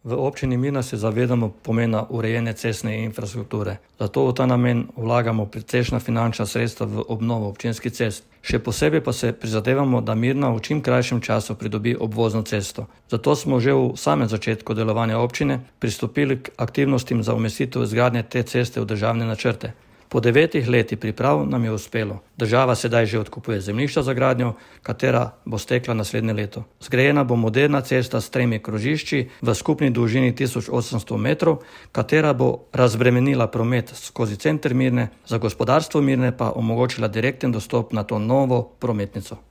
V občini Mirna se zavedamo pomena urejene cestne infrastrukture, zato v ta namen vlagamo precejšnja finančna sredstva v obnovo občinskih cest. Še posebej pa se prizadevamo, da Mirna v čim krajšem času pridobi obvozno cesto. Zato smo že v samem začetku delovanja občine pristopili k aktivnostim za umestitev izgradnje te ceste v državne načrte. Po 9 letih priprav nam je uspelo. Država sedaj že odkupuje zemljišča za gradnjo, katera bo stekla naslednje leto. Zgrajena bo moderna cesta s 3 krožišči v skupni dolžini 1800 metrov, katera bo razbremenila promet skozi center Mirne, za gospodarstvo Mirne pa omogočila direkten dostop na to novo prometnico.